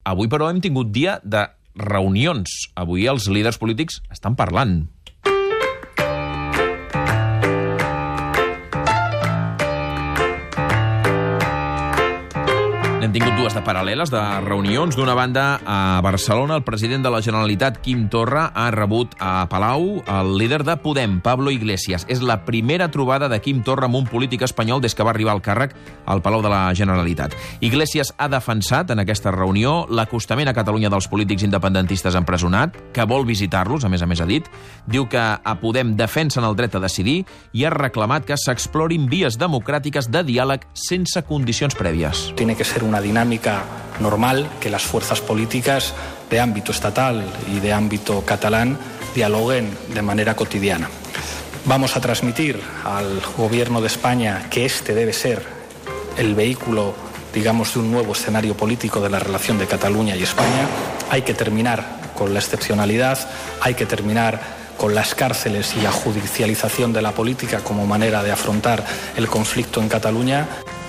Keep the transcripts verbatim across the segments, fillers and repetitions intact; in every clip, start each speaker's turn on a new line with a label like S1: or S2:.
S1: Avui, però, hem tingut dia de reunions. Avui els líders polítics estan parlant. N'hem tingut dues de paral·leles, de reunions. D'una banda, a Barcelona, el president de la Generalitat, Quim Torra, ha rebut a Palau el líder de Podem, Pablo Iglesias. És la primera trobada de Quim Torra amb un polític espanyol des que va arribar al càrrec al Palau de la Generalitat. Iglesias ha defensat en aquesta reunió l'acostament a Catalunya dels polítics independentistes empresonat, que vol visitar-los, a més a més ha dit. Diu que a Podem defensen el dret a decidir i ha reclamat que s'explorin vies democràtiques de diàleg sense condicions prèvies.
S2: Tiene que ser una dinámica normal que las fuerzas políticas de ámbito estatal y de ámbito catalán dialoguen de manera cotidiana. Vamos a transmitir al Gobierno de España que este debe ser el vehículo, digamos, de un nuevo escenario político de la relación de Cataluña y España. Hay que terminar con la excepcionalidad, hay que terminar con las cárceles y la judicialización de la política como manera de afrontar el conflicto en Cataluña.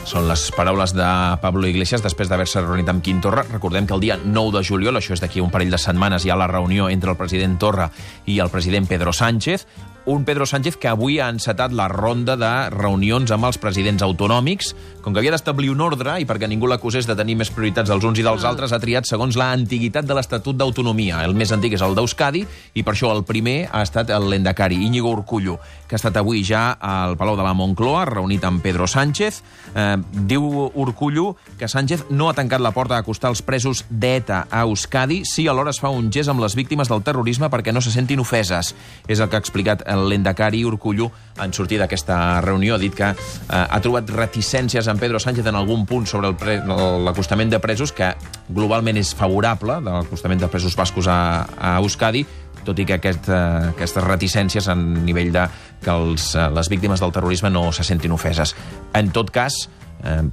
S1: Són les paraules de Pablo Iglesias després d'haver-se reunit amb Quim Torra. Recordem que el dia nou de juliol, això és d'aquí un parell de setmanes, hi ha la reunió entre el president Torra i el president Pedro Sánchez. Un Pedro Sánchez que avui ha encetat la ronda de reunions amb els presidents autonòmics. Com que havia d'establir un ordre i perquè ningú l'acusés de tenir més prioritats dels uns i dels altres, ha triat segons la antiguitat de l'Estatut d'Autonomia. El més antic és el d'Euskadi i per això el primer ha estat el lehendakari, Íñigo Urkullu, que ha estat avui ja al Palau de la Moncloa, reunit amb Pedro Sánchez. Eh, diu Urkullu que Sánchez no ha tancat la porta a acostar els presos d'ETA a Euskadi, si alhora es fa un gest amb les víctimes del terrorisme perquè no se sentin ofeses. És el que ha explicat el lehendakari Urkullu en sortir d'aquesta reunió. Ha dit que eh, ha trobat reticències en Pedro Sánchez en algun punt sobre l'acostament de presos, que globalment és favorable, de l'acostament de presos bascos a, a Euskadi, tot i que aquest, eh, aquestes reticències a nivell de que els, eh, les víctimes del terrorisme no se sentin ofeses. En tot cas, eh,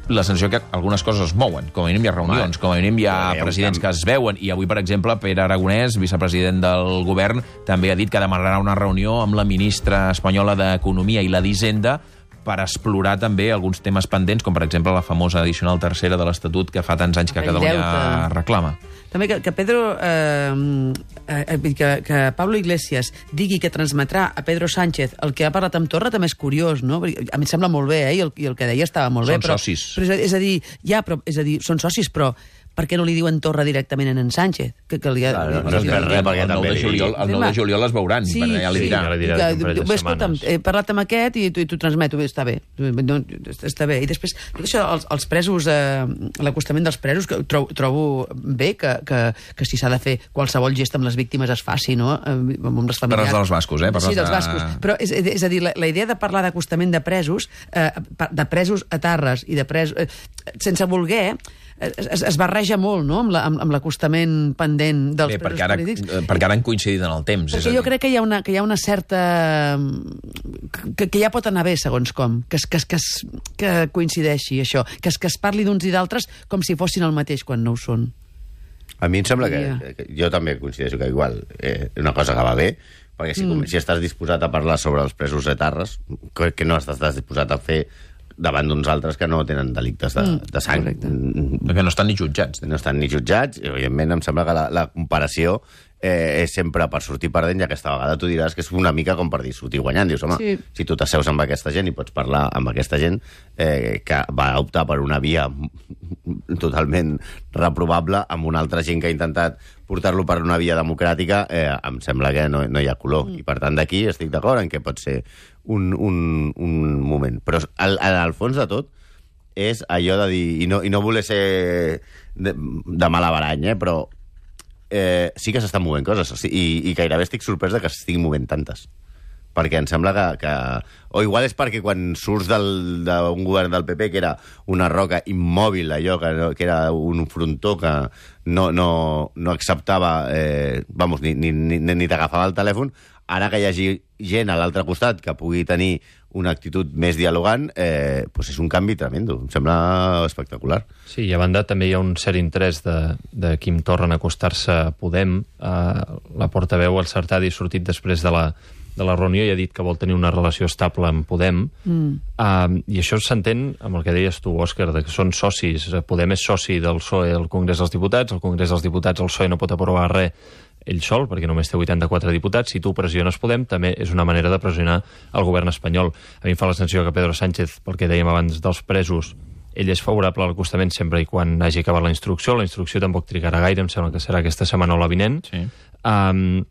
S1: la sensació que algunes coses es mouen. Com a mínim hi ha reunions, com a mínim hi ha presidents que es veuen. I avui, per exemple, Pere Aragonès, vicepresident del govern, també ha dit que demanarà una reunió amb la ministra espanyola d'Economia i la d'Hisenda per explorar també alguns temes pendents, com per exemple la famosa addicional tercera de l'Estatut que fa tants anys que Catalunya reclama.
S3: També que, que Pedro, eh, eh, que, que Pablo Iglesias digui que transmetrà a Pedro Sánchez el que ha parlat amb Torra també és curiós, no? A mi em sembla molt bé, eh? I el, i el que deia estava molt
S1: són
S3: bé. Però,
S1: socis.
S3: Però és, és a dir, ja, però, és a dir, són socis, però per què no li diuen Torra directament a en Sánchez? Que, que li ha,
S4: claro, no, no és res, perquè
S1: el nou de juliol, el nou de juliol es veuran,
S3: sí,
S1: ja li dirà.
S3: Sí, ja li dirà que, escolta'm, he parlat amb aquest i t'ho transmeto, està bé, no, està bé. I després, tot això, els, els presos, eh, l'acostament dels presos, que trobo, trobo bé que, que, que si s'ha de fer qualsevol gest amb les víctimes es faci, no? Amb les familiars.
S1: Parles dels bascos, eh?
S3: Sí, dels bascos. De... Però és, és a dir, la, la idea de parlar d'acostament de presos, eh, de presos a Tarres i de presos... Eh, sense voler, Es, es barreja molt, no?, amb l'acostament la, pendent dels
S1: Bé,
S3: presos
S1: perquè ara,
S3: polítics.
S1: Perquè ara han coincidit en el temps.
S3: Perquè jo crec que hi ha una, que hi ha una certa... Que, que ja pot anar bé, segons com, que, que, que, que coincideixi això, que, que es parli d'uns i d'altres com si fossin el mateix quan no ho són.
S4: A mi em sembla que, que jo també coincideixo que igual eh, una cosa que va bé, perquè si, mm. si estàs disposat a parlar sobre els presos etarres, que, que no estàs disposat a fer davant d'uns altres que no tenen delictes de, mm, de sang.
S1: Perquè no estan ni jutjats.
S4: No estan ni jutjats, i evidentment em sembla que la, la comparació eh, és sempre per sortir perdent, i aquesta vegada tu diràs que és una mica com per dir sortir guanyant. Dius, home, sí. Si tu t'asseus amb aquesta gent i pots parlar amb aquesta gent eh, que va optar per una via totalment reprovable amb una altra gent que ha intentat portar-lo per una via democràtica, eh, em sembla que no, no hi ha color. Mm. I per tant d'aquí estic d'acord en que pot ser un, un, un moment. Però al, al fons de tot és allò de dir, i no, i no voler ser de, de mala barany, eh, però eh, sí que s'estan movent coses, i, i gairebé estic sorprès de que s'estiguin movent tantes. Perquè em sembla que, que... O igual és perquè quan surts d'un govern del P P, que era una roca immòbil, allò, que, que era un frontó que no, no, no acceptava, eh, vamos, ni, ni, ni, ni t'agafava el telèfon, ara que hi hagi gent a l'altre costat que pugui tenir una actitud més dialogant, eh, pues és un canvi tremendo. Em sembla espectacular.
S5: Sí, i a banda també hi ha un cert interès de, de Quim Torra en acostar-se a Podem. Eh, la portaveu, el Sartadi, ha sortit després de la de la reunió i ha dit que vol tenir una relació estable amb Podem. Mm. Uh, I això s'entén amb el que deies tu, Òscar, de que són socis. Podem és soci del P S O E al Congrés dels Diputats, el Congrés dels Diputats, el P S O E no pot aprovar res ell sol, perquè només té vuitanta-quatre diputats. Si tu pressiones Podem, també és una manera de pressionar el govern espanyol. A mi em fa la sensació que Pedro Sánchez, pel que dèiem abans dels presos, ell és favorable a l'acostament sempre i quan hagi acabat la instrucció. La instrucció tampoc trigarà gaire, em sembla que serà aquesta setmana o la vinent. Sí. Um,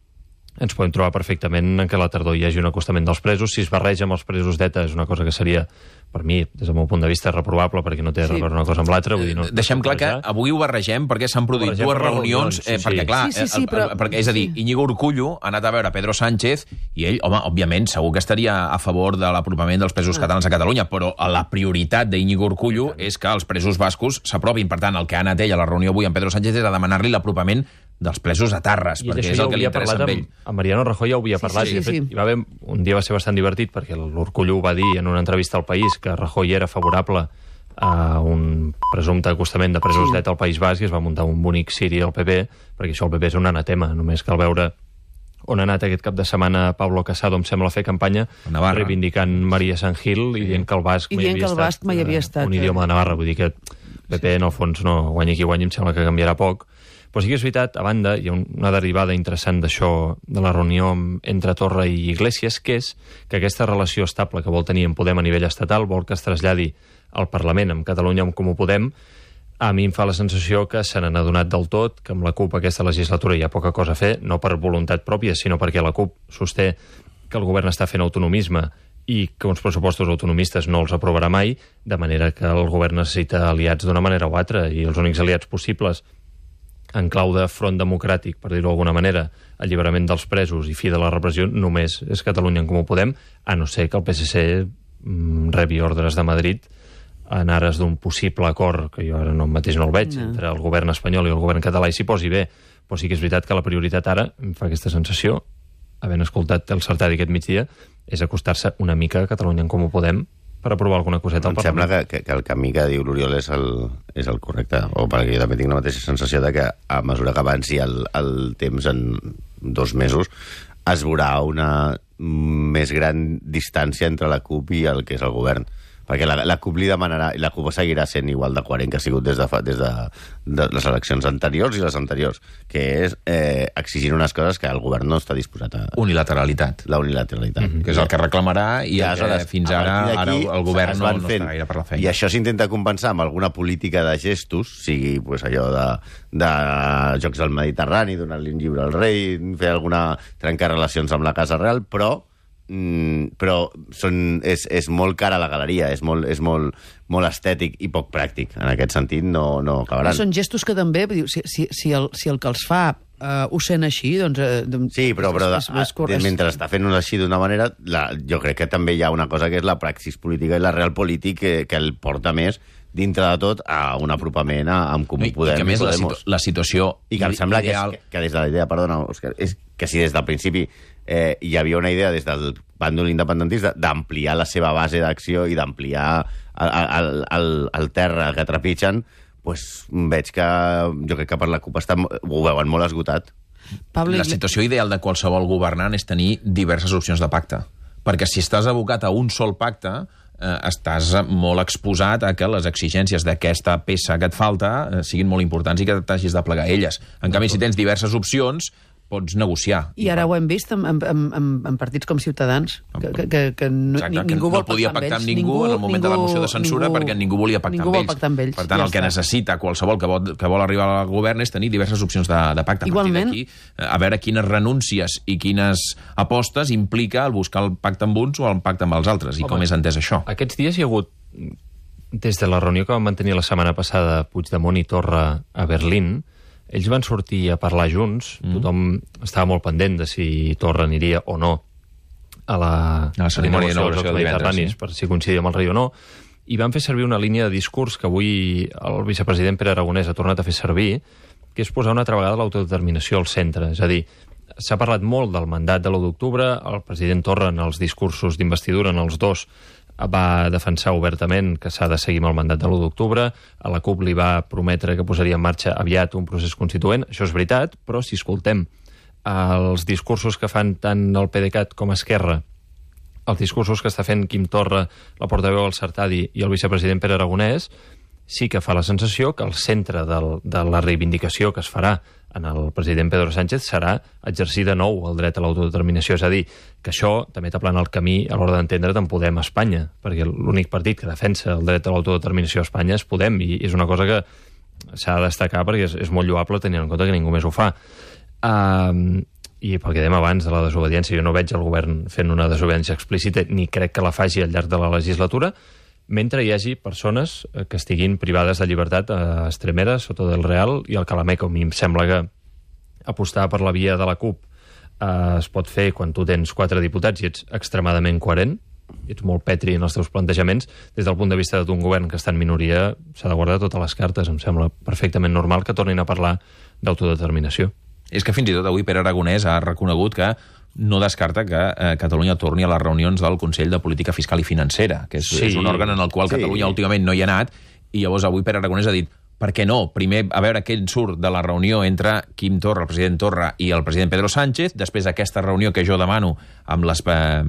S5: ens podem trobar perfectament en què a la tardor hi hagi un acostament dels presos. Si es barreja amb els presos d'ETA és una cosa que seria, per mi, des del meu punt de vista, reprovable, perquè no té sí. a veure una cosa amb l'altra. No,
S1: Deixem clar que avui ho barregem perquè s'han produït dues reunions, eh, sí, sí. perquè, clar,
S3: sí, sí, sí, però...
S1: perquè, és a dir, Íñigo Urkullu ha anat a veure Pedro Sánchez i ell, home, òbviament, segur que estaria a favor de l'apropament dels presos ah. catalans a Catalunya, però la prioritat d'Íñigo Urkullu és que els presos bascos s'apropin. Per tant, el que ha anat ell a la reunió avui amb Pedro Sánchez és a demanar-li l'apropament dels presos a Tarres, I perquè és el que li interessa amb ell.
S5: Amb Mariano Rajoy ja ho havia parlat, sí, sí, sí, i de fet, sí. hi va haver, un dia va ser bastant divertit, perquè l'Urkullu va dir en una entrevista al País que Rajoy era favorable a un presumpte acostament de presos sí. d'ETA al País Basc i es va muntar un bonic ciri al P P, perquè això el P P és un anatema, només cal veure on ha anat aquest cap de setmana Pablo Casado, em sembla, a fer campanya reivindicant Maria Sant Gil i dient que el basc mai havia estat,
S3: mai havia estat
S5: un idioma de Navarra, vull dir que P P en el fons no guanya qui guanya, em sembla que canviarà poc. Però sí que és veritat, a banda, hi ha una derivada interessant d'això, de la reunió entre Torra i Iglesias, que és que aquesta relació estable que vol tenir en Podem a nivell estatal vol que es traslladi al Parlament, amb Catalunya, amb Comú Podem. A mi em fa la sensació que se n'han adonat del tot, que amb la CUP aquesta legislatura hi ha poca cosa a fer, no per voluntat pròpia, sinó perquè la CUP sosté que el govern està fent autonomisme i que uns pressupostos autonomistes no els aprovarà mai, de manera que el govern necessita aliats d'una manera o altra, i els únics aliats possibles en clau de front democràtic, per dir-ho d'alguna manera, alliberament dels presos i fi de la repressió, només és Catalunya en Comú Podem, a no ser que el P S C mm, rebi ordres de Madrid en ares d'un possible acord, que jo ara no mateix no el veig, no. entre el govern espanyol i el govern català, i s'hi posi bé. Però sí que és veritat que la prioritat ara, em fa aquesta sensació, havent escoltat el Sartadi aquest migdia, és acostar-se una mica a Catalunya en Comú Podem per aprovar alguna coseta al Parlament.
S4: Em sembla que, que, que el camí que diu l'Oriol és el, és el correcte, o perquè jo també tinc la mateixa sensació de que a mesura que avanci el, el temps en dos mesos es veurà una més gran distància entre la CUP i el que és el govern. Perquè la, la CUP li demanarà, i la CUP seguirà sent igual de coherent que ha sigut des de, fa, des de, de les eleccions anteriors i les anteriors, que és eh, exigint unes coses que el govern no està disposat a...
S1: Unilateralitat.
S4: La unilateralitat.
S1: Mm-hmm. Que és el que reclamarà i ja, que fins ara, ara el govern no, no està gaire per la feina.
S4: I això s'intenta compensar amb alguna política de gestos, sigui pues, allò de, de Jocs del Mediterrani, donar-li un llibre al rei, fer alguna... trencar relacions amb la Casa Real, però Mm, però són, és, és molt cara a la galeria, és molt, és molt, molt estètic i poc pràctic. En aquest sentit no, no acabaran.
S3: Són gestos que també, si, si, si, el, si el que els fa uh, ho sent així, doncs... Uh,
S4: sí, però, però és, és, és, mentre està fent-ho així d'una manera, la, jo crec que també hi ha una cosa que és la praxis política i la real polític que, que el porta més dintre de tot a un apropament a, amb Comú Podem.
S1: I que més la, situ la situació
S4: I que em sembla ideal... que, és, que des de la idea, perdona, Òscar, és que si des del principi eh, hi havia una idea des del bàndol independentista d'ampliar la seva base d'acció i d'ampliar el, el, el, el terra que trepitgen, pues, veig que jo crec que per la CUP està, ho veuen molt esgotat.
S1: Pablo... La situació ideal de qualsevol governant és tenir diverses opcions de pacte. Perquè si estàs abocat a un sol pacte, eh, estàs molt exposat a que les exigències d'aquesta peça que et falta eh, siguin molt importants i que t'hagis de plegar a elles. En canvi, si tens diverses opcions, pots negociar.
S3: I ara ho hem vist en, en, en, en partits com Ciutadans, que, que, que, que no,
S1: Exacte,
S3: ningú
S1: que
S3: vol
S1: no podia pactar amb ningú, ningú en el moment ningú, de la moció de censura ningú, perquè ningú volia pactar,
S3: ningú
S1: amb, ells.
S3: pactar amb ells.
S1: Per tant, ja el que està. necessita qualsevol que vol, que vol arribar al govern és tenir diverses opcions de, de pacte.
S3: Igualment.
S1: A partir d'aquí, a veure quines renúncies i quines apostes implica el buscar el pacte amb uns o el pacte amb els altres, i Home, com és entès això.
S5: Aquests dies hi ha hagut, des de la reunió que vam mantenir la setmana passada Puigdemont i Torra a Berlín, ells van sortir a parlar junts, mm. tothom estava molt pendent de si Torra aniria o no a la,
S1: a la cerimònia de
S5: dels Mediterranis, sí. per si coincidia amb el rei o no, i van fer servir una línia de discurs que avui el vicepresident Pere Aragonès ha tornat a fer servir, que és posar una altra vegada l'autodeterminació al centre. És a dir, s'ha parlat molt del mandat de l'u d'octubre, el president Torra en els discursos d'investidura, en els dos, va defensar obertament que s'ha de seguir amb el mandat de l'u d'octubre, a la CUP li va prometre que posaria en marxa aviat un procés constituent, això és veritat, però si escoltem els discursos que fan tant el PDeCAT com Esquerra, els discursos que està fent Quim Torra, la portaveu del Sartadi i el vicepresident Pere Aragonès, sí que fa la sensació que el centre del, de la reivindicació que es farà en el president Pedro Sánchez serà exercir de nou el dret a l'autodeterminació. És a dir, que això també t'aplana el camí a l'hora d'entendre't en Podem a Espanya, perquè l'únic partit que defensa el dret a l'autodeterminació a Espanya és Podem, i és una cosa que s'ha de destacar perquè és, és molt lloable tenint en compte que ningú més ho fa. Uh, I pel que dèiem abans de la desobediència, jo no veig el govern fent una desobediència explícita, ni crec que la faci al llarg de la legislatura, mentre hi hagi persones que estiguin privades de llibertat a Estremera, Soto del Real i al Calameco. A mi em sembla que apostar per la via de la CUP eh, es pot fer quan tu tens quatre diputats i ets extremadament coherent, ets molt petri en els teus plantejaments. Des del punt de vista d'un govern que està en minoria, s'ha de guardar totes les cartes. Em sembla perfectament normal que tornin a parlar d'autodeterminació.
S1: És que fins i tot avui Pere Aragonès ha reconegut que no descarta que eh, Catalunya torni a les reunions del Consell de Política Fiscal i Financera, que és, sí. és un òrgan en el qual Catalunya sí. últimament no hi ha anat, i llavors avui Pere Aragonès ha dit per què no? Primer, a veure què en surt de la reunió entre Quim Torra, el president Torra, i el president Pedro Sánchez, després aquesta reunió que jo demano amb les eh,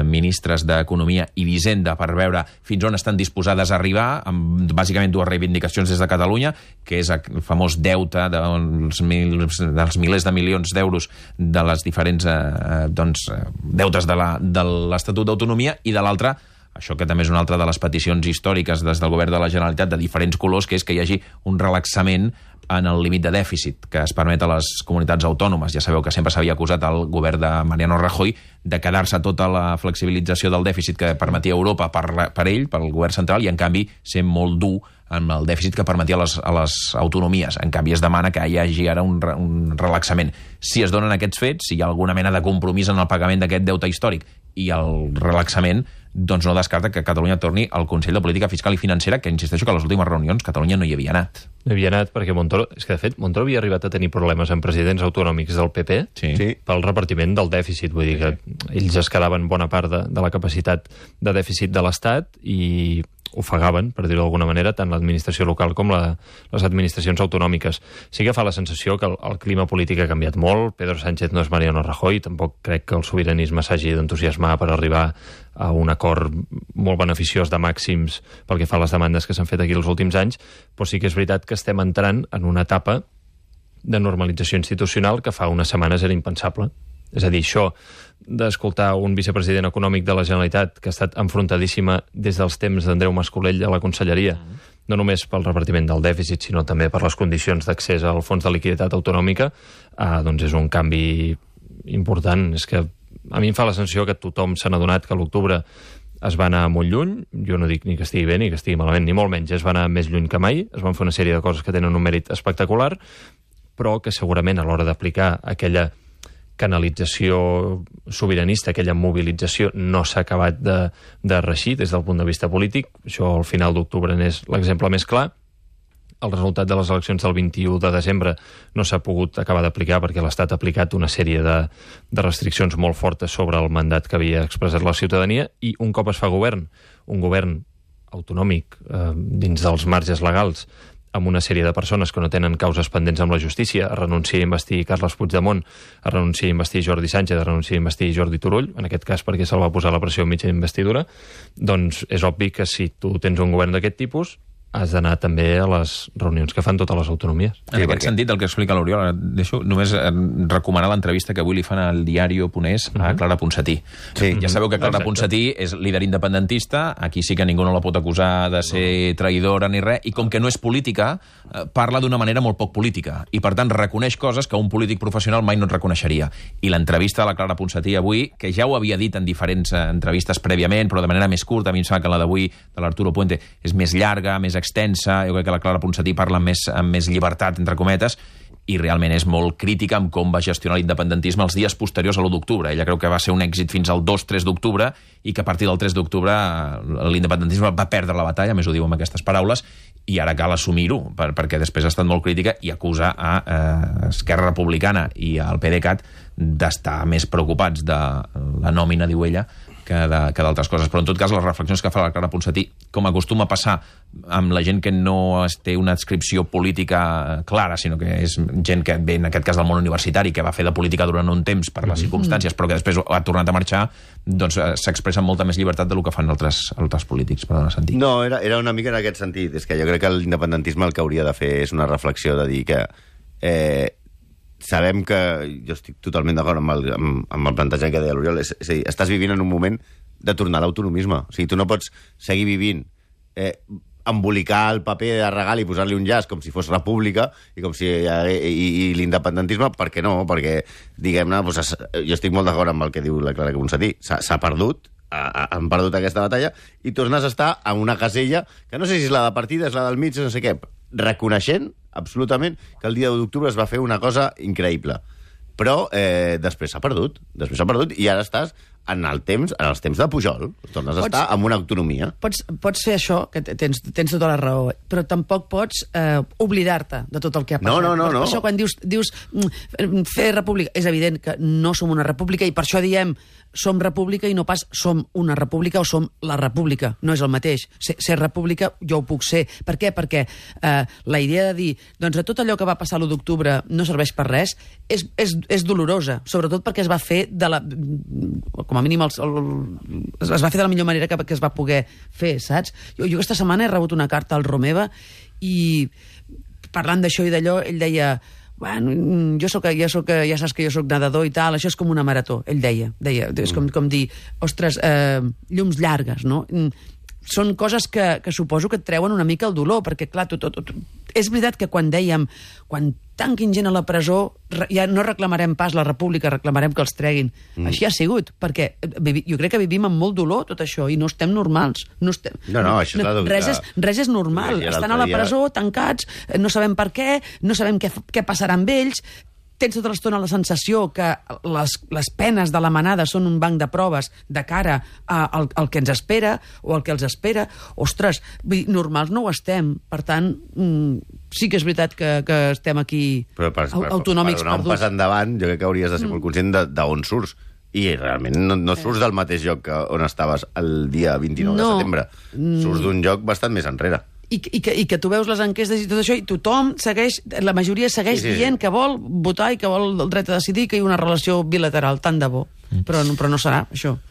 S1: ministres d'Economia i d'Hisenda per veure fins on estan disposades a arribar, amb bàsicament dues reivindicacions des de Catalunya, que és el famós deute dels, mil, dels milers de milions d'euros de les diferents eh, doncs, deutes de l'Estatut d'Autonomia, i de l'altra, això que també és una altra de les peticions històriques des del govern de la Generalitat de diferents colors, que és que hi hagi un relaxament en el límit de dèficit que es permet a les comunitats autònomes. Ja sabeu que sempre s'havia acusat al govern de Mariano Rajoy de quedar-se tota la flexibilització del dèficit que permetia Europa per, per ell, pel govern central, i en canvi ser molt dur amb el dèficit que permetia a les, a les autonomies. En canvi, es demana que hi hagi ara un, un relaxament. Si es donen aquests fets, si hi ha alguna mena de compromís en el pagament d'aquest deute històric i el relaxament, doncs no descarta que Catalunya torni al Consell de Política Fiscal i Financera, que insisteixo que a les últimes reunions Catalunya no hi havia anat.
S5: No hi havia anat perquè Montoro... És que, de fet, Montoro havia arribat a tenir problemes amb presidents autonòmics del P P
S1: sí. Sí.
S5: pel repartiment del dèficit. Vull dir que ells es quedaven bona part de, de la capacitat de dèficit de l'Estat i ofegaven, per dir-ho d'alguna manera, tant l'administració local com la, les administracions autonòmiques. Sí que fa la sensació que el, el clima polític ha canviat molt. Pedro Sánchez no és Mariano Rajoy, tampoc crec que el sobiranisme s'hagi d'entusiasmar per arribar a un acord molt beneficiós de màxims pel que fa a les demandes que s'han fet aquí els últims anys, però sí que és veritat que estem entrant en una etapa de normalització institucional que fa unes setmanes era impensable. És a dir, això d'escoltar un vicepresident econòmic de la Generalitat que ha estat enfrontadíssima des dels temps d'Andreu Mas-Colell a la Conselleria, no només pel repartiment del dèficit, sinó també per les condicions d'accés al fons de liquiditat autonòmica, eh, doncs és un canvi important. És que a mi em fa la sensació que tothom s'ha adonat que a l'octubre es va anar molt lluny. Jo no dic ni que estigui bé ni que estigui malament, ni molt menys. Es va anar més lluny que mai, es van fer una sèrie de coses que tenen un mèrit espectacular, però que segurament a l'hora d'aplicar aquella canalització sobiranista, aquella mobilització, no s'ha acabat de, de reixir des del punt de vista polític. Això al final d'octubre n'és l'exemple més clar. El resultat de les eleccions del vint-i-u de desembre no s'ha pogut acabar d'aplicar perquè l'Estat ha aplicat una sèrie de, de restriccions molt fortes sobre el mandat que havia expressat la ciutadania, i un cop es fa govern, un govern autonòmic eh, dins dels marges legals, amb una sèrie de persones que no tenen causes pendents amb la justícia, a renunciar a investir Carles Puigdemont, a renunciar a investir Jordi Sánchez, a renunciar a investir Jordi Turull, en aquest cas perquè se'l va posar la pressió mitja d'investidura, doncs és obvi que si tu tens un govern d'aquest tipus, has d'anar també a les reunions que fan totes les autonomies.
S1: En aquest sentit, el que explica l'Oriol, deixo només recomanar l'entrevista que avui li fan al Diario Ponés a Clara Ponsatí. Sí. Ja sabeu que Clara Ponsatí és líder independentista, aquí sí que ningú no la pot acusar de ser traïdora ni res, i com que no és política, parla d'una manera molt poc política, i per tant reconeix coses que un polític professional mai no et reconeixeria. I l'entrevista de la Clara Ponsatí avui, que ja ho havia dit en diferents entrevistes prèviament, però de manera més curta, a mi em sembla que la d'avui, de l'Arturo Puente, és més llarga, més extensa, jo crec que la Clara Ponsatí parla amb més, amb més llibertat, entre cometes, i realment és molt crítica amb com va gestionar l'independentisme els dies posteriors a l'u d'octubre. Ella creu que va ser un èxit fins al dos tres d'octubre i que a partir del tres d'octubre l'independentisme va perdre la batalla, més ho diu amb aquestes paraules, i ara cal assumir-ho, per, perquè després ha estat molt crítica i acusa a eh, Esquerra Republicana i al PDeCAT d'estar més preocupats de la nòmina, diu ella, que d'altres coses. Però, en tot cas, les reflexions que fa la Clara Ponsatí, com acostuma a passar amb la gent que no té una adscripció política clara, sinó que és gent que ve, en aquest cas, del món universitari, que va fer de política durant un temps per les circumstàncies, però que després ha tornat a marxar, doncs s'expressa amb molta més llibertat del que fan altres, altres polítics. Perdona, Santi.
S4: No, era, era una mica en aquest sentit. És que jo crec que l'independentisme el que hauria de fer és una reflexió de dir que eh, sabem que... Jo estic totalment d'acord amb, el, amb, amb el plantejament que deia l'Oriol. És, és a dir, estàs vivint en un moment de tornar a l'autonomisme. O sigui, tu no pots seguir vivint... Eh, embolicar el paper de regal i posar-li un llaç com si fos república i com si i, i, i l'independentisme, per què no? Perquè, diguem-ne, doncs, jo estic molt d'acord amb el que diu la Clara Ponsatí, s'ha perdut, ha, han perdut aquesta batalla i tornes a estar en una casella que no sé si és la de partida, és la del mig, no sé què, reconeixent absolutament que el dia de d'octubre es va fer una cosa increïble. Però eh, després s'ha perdut, després s'ha perdut i ara estàs en el temps, en els temps de Pujol, tornes a pots, estar amb una autonomia.
S3: Pots, pots fer això, que tens, tens tota la raó, però tampoc pots eh, oblidar-te de tot el que ha passat.
S4: No, no, no.
S3: Per,
S4: no.
S3: per això quan dius, dius fer república, és evident que no som una república i per això diem som república i no pas som una república o som la república. No és el mateix. Ser, ser república jo ho puc ser. Per què? Perquè eh, la idea de dir doncs tot allò que va passar l'u d'octubre no serveix per res és, és, és dolorosa, sobretot perquè es va fer de la... com a mínim el, el, es va fer de la millor manera que, que es va poder fer, saps? Jo, jo aquesta setmana he rebut una carta al Romeva i parlant d'això i d'allò, ell deia... Bueno, jo soc, ja, soc, ja saps que jo soc nedador i tal, això és com una marató, ell deia. deia és com, com dir, ostres, eh, llums llargues, no? Són coses que, que suposo que et treuen una mica el dolor, perquè, clar, tot, tot, tot, és veritat que quan dèiem, quan tanquin gent a la presó, ja no reclamarem pas la república, reclamarem que els treguin. Mm. Així ha sigut, perquè jo crec que vivim amb molt dolor tot això, i no estem normals. No, estem,
S4: no, no, això
S3: no, res, és, res és normal. Estan a la presó, tancats, no sabem per què, no sabem què, què passarà amb ells, tens tota l'estona la sensació que les, les penes de la manada són un banc de proves de cara a, al, al que ens espera o al que els espera. Ostres, normals no ho estem. Per tant, mm, sí que és veritat que, que estem aquí
S4: Però per, per,
S3: autonòmics
S4: per donar
S3: perduts.
S4: un pas endavant, jo crec que hauries de ser molt conscient d'on surts. I realment no, no surts del mateix lloc que on estaves el dia vint-i-nou no. de setembre. Surts d'un lloc bastant més enrere.
S3: I, i, que, i que tu veus les enquestes i tot això i tothom segueix, la majoria segueix sí, sí, dient sí. que vol votar i que vol el dret a decidir, que hi ha una relació bilateral, tant de bo. Mm. Però, però no serà, això.